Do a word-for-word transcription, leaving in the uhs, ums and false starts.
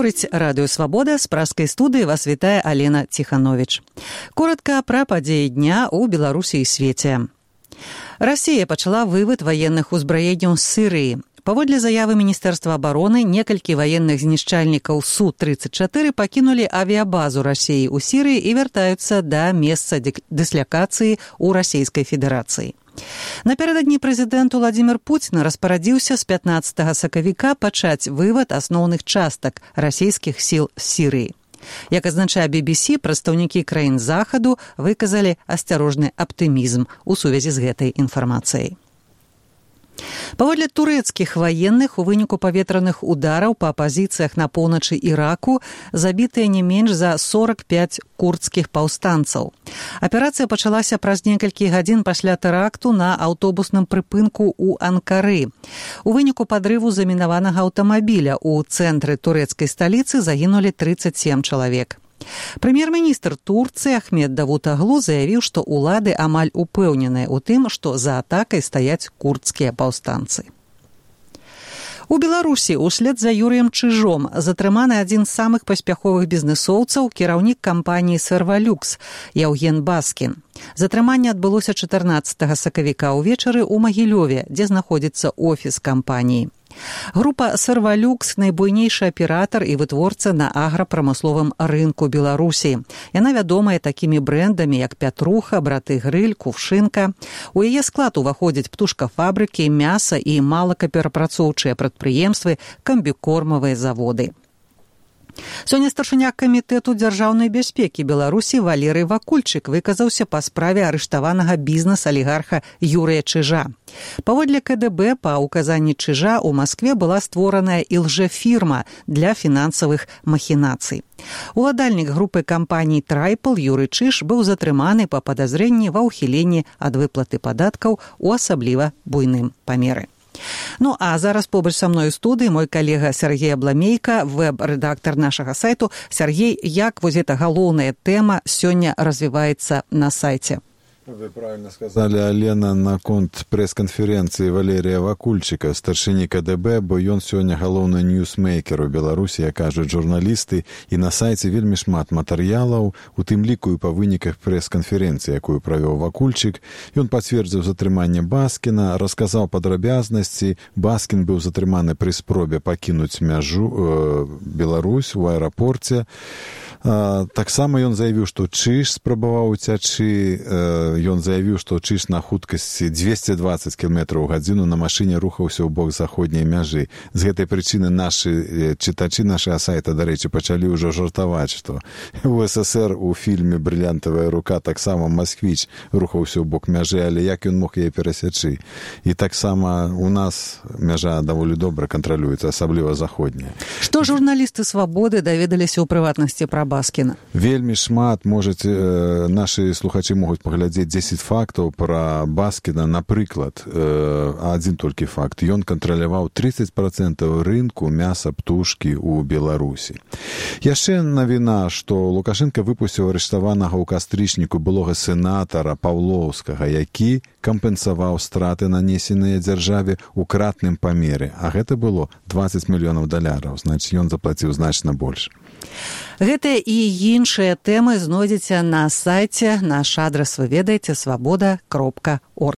Гаворыць Радыё Свабода, з пражскай студыі вас вітае Алена Ціхановіч. Коратка пра падзеі дня ў Беларусі і свеце. Расія пачала вывод ваенных узбраенняў з Сірыі. Паводле заявы Міністэрства абароны, некалькі ваенных знішчальнікаў Су тридцать чатыры пакінулі авіябазу Расіі ў Сірыі і вяртаюцца да месца дыслякацыі ў Расійскай Федэрацыі. Напярэдадні прэзідэнт Уладзімір Пуцін распарадзіўся з пятнаццатага сакавіка пачаць вывад асноўных частак расійскіх сіл з Сірыі. Як азначае би би сі, прадстаўнікі краін Захаду выказалі асцярожны аптымізм у сувязі з гэтай інфармацыяй. Паводле турэцкіх ваенных, у выніку паветраных удараў па пазіцыях на поўначы Іраку забітыя не менш за сорок пять курдскіх паўстанцаў. Аперацыя пачалася праз некалькі гадзін пасля тэракту на аўтобусным прыпынку ў Анкары. У выніку падрыву замінаванага аўтамабіля ў цэнтры турэцкай сталіцы загінулі тридцать семь чалавек. Прэм'ер-міністр Турцыі Ахмед Давутаглу заявіў, што ўлады амаль упэўненыя ў тым, што за атакай стаяць курдскія паўстанцы. У Беларусі услед за Юрыем Чыжом затрыманы адзін з самых паспяховых бізнэсоўцаў, кіраўнік кампаніі «Сервалюкс» Яўген Баскін. Затрыманне адбылося чатырнаццатага сакавіка ўвечары ў Магілёве, дзе знаходзіцца офіс кампаніі. Група «Сервалюкс» – найбуйнейшы аператар і вытворца на аграпрамысловым рынку Беларусі. Яна вядомая такімі брэндамі, як «Пятруха», «Браты Грыль», «Кувшынка». У яе склад уваходзяць птушкафабрыкі, мяса і малакаперапрацоўчыя прадпрыемствы, камбікормавыя заводы. Сёння старшыня камітэту дзяржаўнай бяспекі Беларусі Валерый Вакульчык выказаўся па справе арыштаванага бізнес-алігарха Юрыя Чыжа. Паводле ка дэ бэ, па ўказанні Чыжа ў Маскве была створаная ілжэфірма для фінансавых махінацый. Уладальнік групы кампаній «Трайпл» Юрый Чыж быў затрыманы па падазрэнні ва ўхіленні ад выплаты падаткаў у асабліва буйным памеры. Ну, а зараз побач са мной у студыі мой калега Сергей Абламейка, вэб-рэдактар нашага сайту. Сергей, як вось эта галоўная тэма сёння развіваецца на сайце? Вы правильно сказали, Алена, наконт прэс-канферэнцыі Валерія Вакульчыка, старшыні ка дэ бэ, бо ён сёння галоўны ньюсмейкер у Беларусі, як кажуць журналісты, і на сайце вельмі шмат матэрыялаў, у тым ліку і па выніках прэс-канферэнцыі, якую правёў Вакульчык. Ён пацвердзіў затрыманне Баскіна, расказаў падрабязнасці. Баскін быў затрыманы пры спробе пакінуць мяжу э, Беларусь у аэрапорце. А, таксама ён заявіў, што Чыж спрабаваў уцячы. Ён заявіў, што Чыж на хуткасці двести двадцать кіламетраў у гадзіну на машыне рухаўся ў бок заходняй мяжы. З гэтай прычыны нашы чытачы нашага сайта, дарэчы, пачалі ўжо жартаваць, што у эс эс ер у фільме «Брыльянтавая рука» таксама Масквіч рухаўся ў бок мяжы, але як ён мог яе перасячы? І таксама у нас мяжа даволі добра кантралюецца, асабліва заходняя. Што журналісты «Свабоды» даведаліся ў прыватнасці пра Баскіна? Вельмі шмат, можаце, э, нашы слухачы могуць паглядзець дзесяць фактаў пра Баскіна. Напрыклад, э, адзін толькі факт. Ён кантраляваў тридцать процентаў рынку мяса птушкі ў Беларусі. Яшчэ навіна, што Лукашенко выпусціў арыштаванага ў кастрычніку былога сенатара Паўлоўскага, які кампенсаваў страты, нанесеныя дзяржаве ў кратным памеры. А гэта было двадцать мільёнаў даляраў. Значыць, ён заплаціў значна больш. Гэтыя і іншыя тэмы знойдзеце на сайце. Наш адрас вы ведаеце свабода кропка орг.